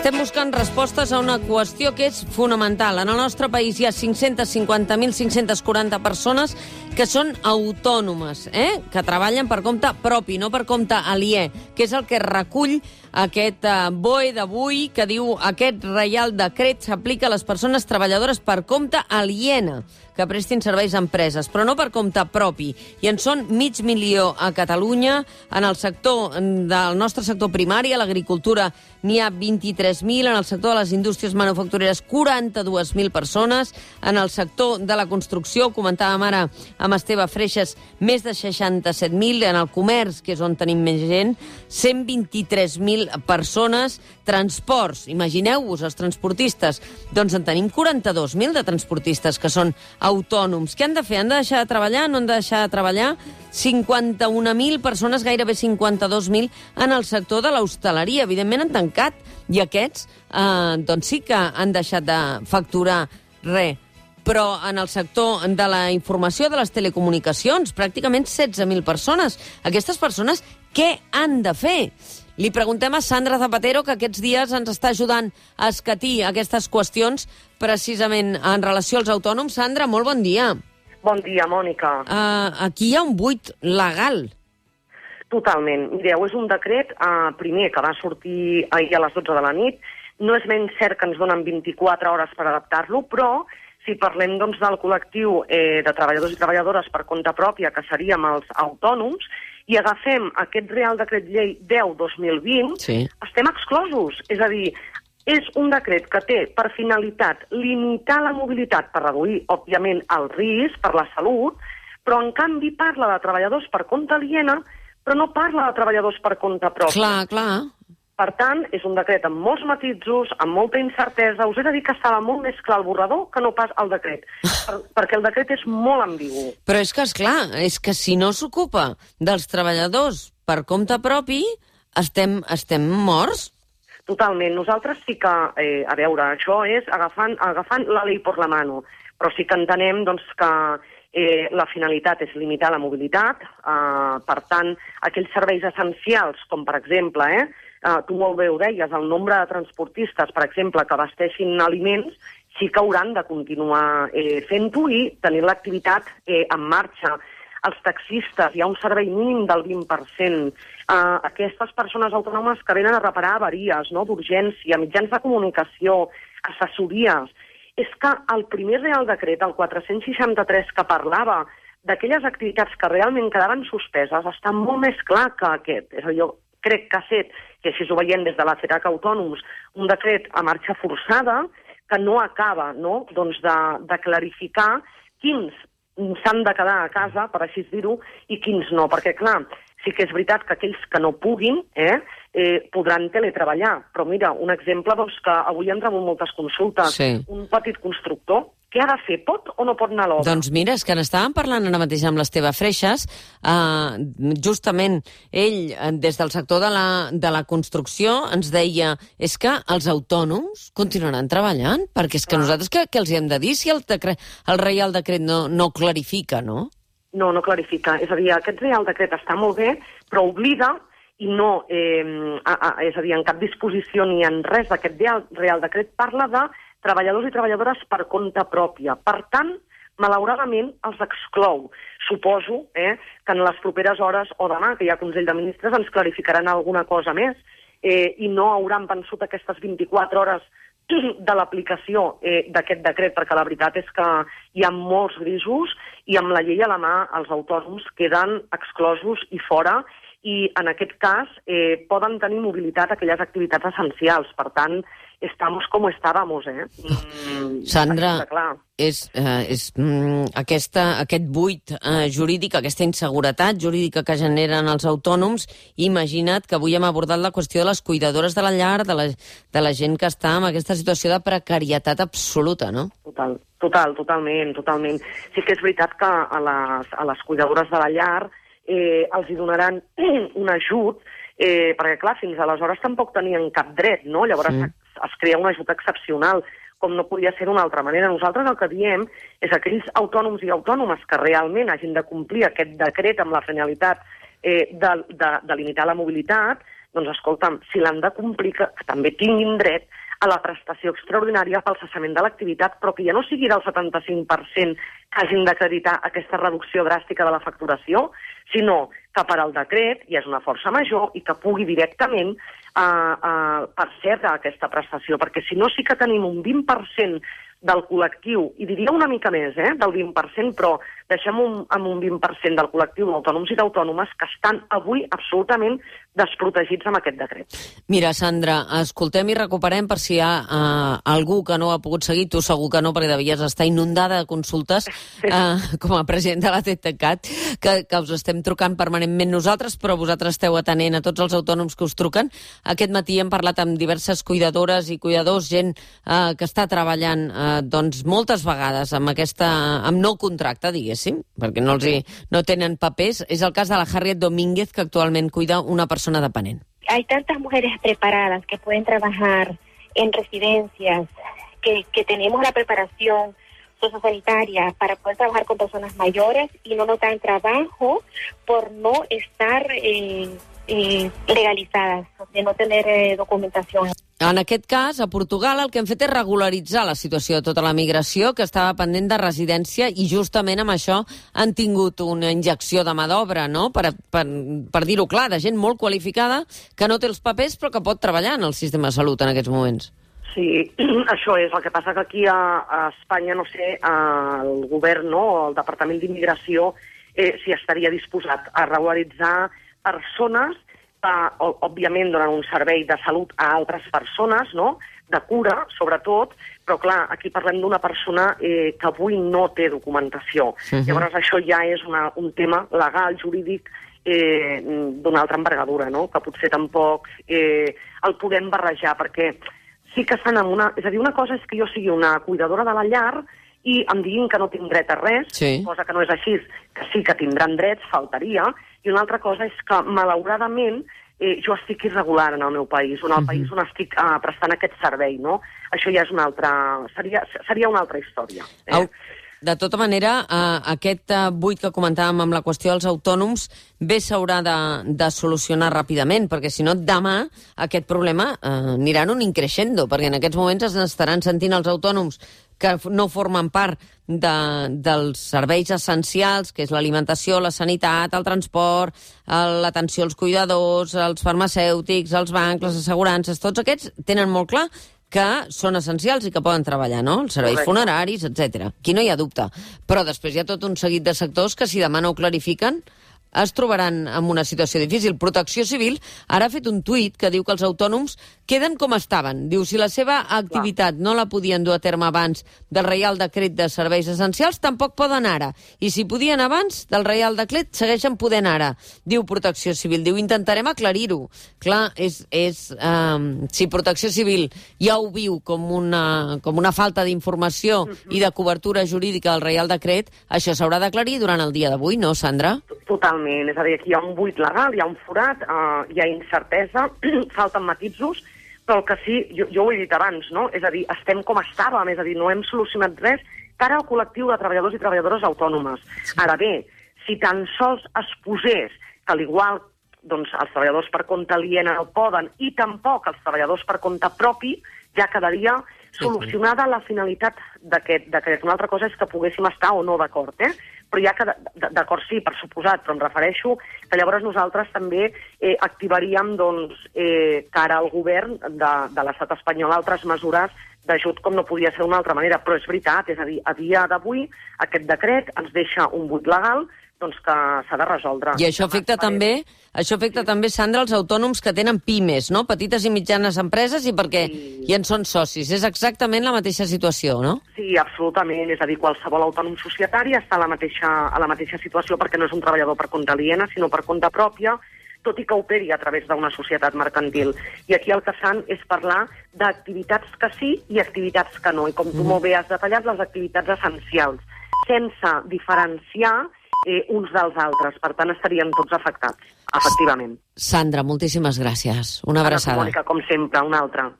Estem buscant respostes a una qüestió que és fonamental. En el nostre país hi ha 550.540 persones que són autònomes, que treballen per compte propi, no per compte aliè, que és el que recull aquest BOE d'avui, que diu aquest Reial Decret s'aplica a les persones treballadores per compte aliena que prestin serveis a empreses, però no per compte propi. I en són 500.000 a Catalunya. En el sector del nostre sector primari, a l'agricultura, n'hi ha 23.000. En el sector de les indústries manufactureres, 42.000 persones. En el sector de la construcció, comentàvem ara amb Esteve Freixas, més de 67.000. En el comerç, que és on tenim més gent, 123.000 persones. Transports, imagineu-vos, els transportistes. Doncs en tenim 42.000 de transportistes que són autònoms. Què han de fer? Han de deixar de treballar? No han de deixar de treballar? 51.000 persones, gairebé 52.000, en el sector de l'hostaleria. Evidentment han tancat, i aquests doncs sí que han deixat de facturar res. Però en el sector de la informació, de les telecomunicacions, pràcticament 16.000 persones. Aquestes persones, què han de fer? Li preguntem a Sandra Zapatero, que aquests dies ens està ajudant a escatir aquestes qüestions precisament en relació als autònoms. Sandra, molt bon dia. Bon dia, Mònica. Aquí hi ha un buit legal. Totalment. Mireu, és un decret, primer, que va sortir ahir a les 12 de la nit. No és menys cert que ens donen 24 hores per adaptar-lo, però si parlem doncs, del col·lectiu de treballadors i treballadores per compte pròpia, que seríem els autònoms, i agafem aquest Real Decret Llei 10-2020, sí, estem exclosos. És a dir, és un decret que té per finalitat limitar la mobilitat per reduir, òbviament, el risc per la salut, però en canvi parla de treballadors per compte aliena, però no parla de treballadors per compte propi. Clar, clar. Per tant, és un decret amb molts matisos, amb molta incertesa. Us he de dir que estava molt més clar el borrador que no pas el decret, perquè el decret és molt ambigu. Però és que, esclar, és que si no s'ocupa dels treballadors per compte propi, estem morts. Totalment. Nosaltres sí que, a veure, això és agafant la llei per la mano, però sí que entenem doncs, que la finalitat és limitar la mobilitat. Per tant, aquells serveis essencials, com per exemple, tu molt bé ho deies, el nombre de transportistes, per exemple, que abasteixin aliments, sí que hauran de continuar fent-ho i tenir l'activitat en marxa. Els taxistes, hi ha un servei mínim del 20%. Aquestes persones autònomes que venen a reparar avaries, no?, d'urgència, mitjans de comunicació, assessories. És que el primer Real Decret, el 463, que parlava d'aquelles activitats que realment quedaven suspeses, està molt més clar que aquest. És a dir, jo crec que ha set, que així ho veiem des de la CERAC Autònoms, un decret a marxa forçada que no acaba, no?, doncs de clarificar quins s'han de quedar a casa, per així dir-ho, i quins no. Perquè, clar, sí que és veritat que aquells que no puguin podran teletreballar. Però mira, un exemple doncs, que avui han rebut moltes consultes. Sí. Un petit constructor, què ha de fer? Pot o no pot anar a l'obra? Doncs mira, és que n'estàvem parlant ara mateix amb l'Esteve Freixas. Justament ell, des del sector de la construcció, ens deia és que els autònoms continuaran treballant, perquè és que nosaltres què els hi hem de dir si el Reial Decret no clarifica, no? No clarifica. És a dir, aquest Real Decret està molt bé, però oblida i no, és a dir, en cap disposició ni en res d'aquest Real Decret parla de treballadors i treballadores per compte pròpia. Per tant, malauradament, els exclou. Suposo que en les properes hores o demà, que hi ha Consell de Ministres, ens clarificaran alguna cosa més i no hauran vençut aquestes 24 hores de l'aplicació d'aquest decret, perquè la veritat és que hi ha molts grisos i amb la llei a la mà els autònoms queden exclosos i fora, i en aquest cas poden tenir mobilitat aquelles activitats essencials. Per tant, estamos como estábamos, Sandra, aquest buit jurídic, aquesta inseguretat jurídica que generen els autònoms, imagina't que avui hem abordat la qüestió de les cuidadores de la llar, de la gent que està en aquesta situació de precarietat absoluta, no? Totalment. Sí que és veritat que a les cuidadores de la llar els hi donaran un ajut, perquè, clar, fins aleshores tampoc tenien cap dret, no? Llavors es crea un ajut excepcional, com no podia ser d'una altra manera. Nosaltres el que diem és aquells autònoms i autònomes que realment hagin de complir aquest decret amb la finalitat de limitar la mobilitat, doncs escolta'm, si l'han de complir, que també tinguin dret a la prestació extraordinària pel cessament de l'activitat, però que ja no sigui del 75% que hagin d'acreditar aquesta reducció dràstica de la facturació, sinó que per al decret hi és una força major i que pugui directament percebre aquesta prestació, perquè si no sí que tenim un 20% del col·lectiu, i diria una mica més, del 20%, però deixem amb un 20% del col·lectiu d'autònoms i d'autònomes que estan avui absolutament desprotegits amb aquest decret. Mira, Sandra, escoltem i recuperem per si hi ha algú que no ha pogut seguir, tu segur que no, perquè devies estar inundada de consultes com a president de la TTCAT, que us estem trucant permanentment nosaltres, però vosaltres esteu atenent a tots els autònoms que us truquen. Aquest matí hem parlat amb diverses cuidadores i cuidadors, gent que està treballant doncs moltes vegades amb no contracte, diguéssim, perquè no tenen papers. És el cas de la Harriet Domínguez, que actualment cuida una persona dependent. Hay tantas mujeres preparadas que pueden trabajar en residencias, que tenemos la preparación sociosanitaria para poder trabajar con personas mayores y no nos dan trabajo por no estar legalizadas, de no tener documentación. En aquest cas, a Portugal el que hem fet és regularitzar la situació de tota la migració que estava pendent de residència i justament amb això han tingut una injecció de mà d'obra, no? Per dir-ho clar, de gent molt qualificada que no té els papers però que pot treballar en el sistema de salut en aquests moments. Sí, això és. El que passa que aquí a Espanya, no sé, el govern, no, el Departament d'Immigració, si estaria disposat a regularitzar persones òbviament donen un servei de salut a altres persones, no?, de cura, sobretot, però clar, aquí parlem d'una persona que avui no té documentació. Llavors això ja és un tema legal, jurídic, d'una altra envergadura, no?, que potser tampoc el podem barrejar, perquè sí que estan en una... És a dir, una cosa és que jo sigui una cuidadora de la llar i em diguin que no tinc dret a res, cosa que no és així, que sí que tindran drets, faltaria, i una altra cosa és que, malauradament, jo estic irregular en el meu país, on el país on estic prestant aquest servei, no? Això ja és una altra... Seria una altra història. De tota manera, aquest buit que comentàvem amb la qüestió dels autònoms bé s'haurà de solucionar ràpidament, perquè si no, demà aquest problema anirà en un increixendo, perquè en aquests moments es estaran sentint els autònoms que no formen part dels serveis essencials, que és l'alimentació, la sanitat, el transport, l'atenció als cuidadors, els farmacèutics, els bancs, les assegurances, tots aquests tenen molt clar que són essencials i que poden treballar, no? Els serveis funeraris, etc. Aquí no hi ha dubte. Però després hi ha tot un seguit de sectors que, si demà no ho clarifiquen, es trobaran en una situació difícil. Protecció Civil ara ha fet un tuit que diu que els autònoms queden com estaven. Diu, si la seva activitat no la podien dur a terme abans del Reial Decret de Serveis Essencials, tampoc poden ara. I si podien abans del Reial Decret, segueixen podent ara. Diu Protecció Civil. Diu, intentarem aclarir-ho. Clar, si Protecció Civil ja ho viu com una falta d'informació i de cobertura jurídica del Reial Decret, això s'haurà d'aclarir durant el dia d'avui, no, Sandra? Totalment. És a dir, aquí hi ha un buit legal, hi ha un forat, hi ha incertesa, falten matisos, però el que sí, jo ho he dit abans, no? És a dir, estem com estàvem, és a dir, no hem solucionat res cara al col·lectiu de treballadors i treballadores autònomes. Ara bé, si tan sols es posés que al igual doncs, els treballadors per compte aliè no poden i tampoc els treballadors per compte propi, ja quedaria solucionada la finalitat d'aquest decret. Una altra cosa és que poguéssim estar o no d'acord, però ja que d'acord sí, per suposat, però em refereixo que llavors nosaltres també activaríem doncs, cara al govern de l'estat espanyol altres mesures d'ajut com no podia ser d'una altra manera, però és veritat, és a dir, a dia d'avui aquest decret ens deixa un buit legal doncs que s'ha de resoldre. I això afecta també, Sandra, els autònoms que tenen pimes, no? Petites i mitjanes empreses i perquè hi en són socis. És exactament la mateixa situació, no? Sí, absolutament. És a dir, qualsevol autònom societari està a la mateixa situació perquè no és un treballador per compte aliena, sinó per compte pròpia, tot i que operi a través d'una societat mercantil. I aquí el que fan és parlar d'activitats que sí i activitats que no. I com tu molt bé has detallat, les activitats essencials, sense diferenciar uns dels altres. Per tant, estarien tots afectats, efectivament. Sandra, moltíssimes gràcies. Una abraçada. Mònica, com sempre, una altra.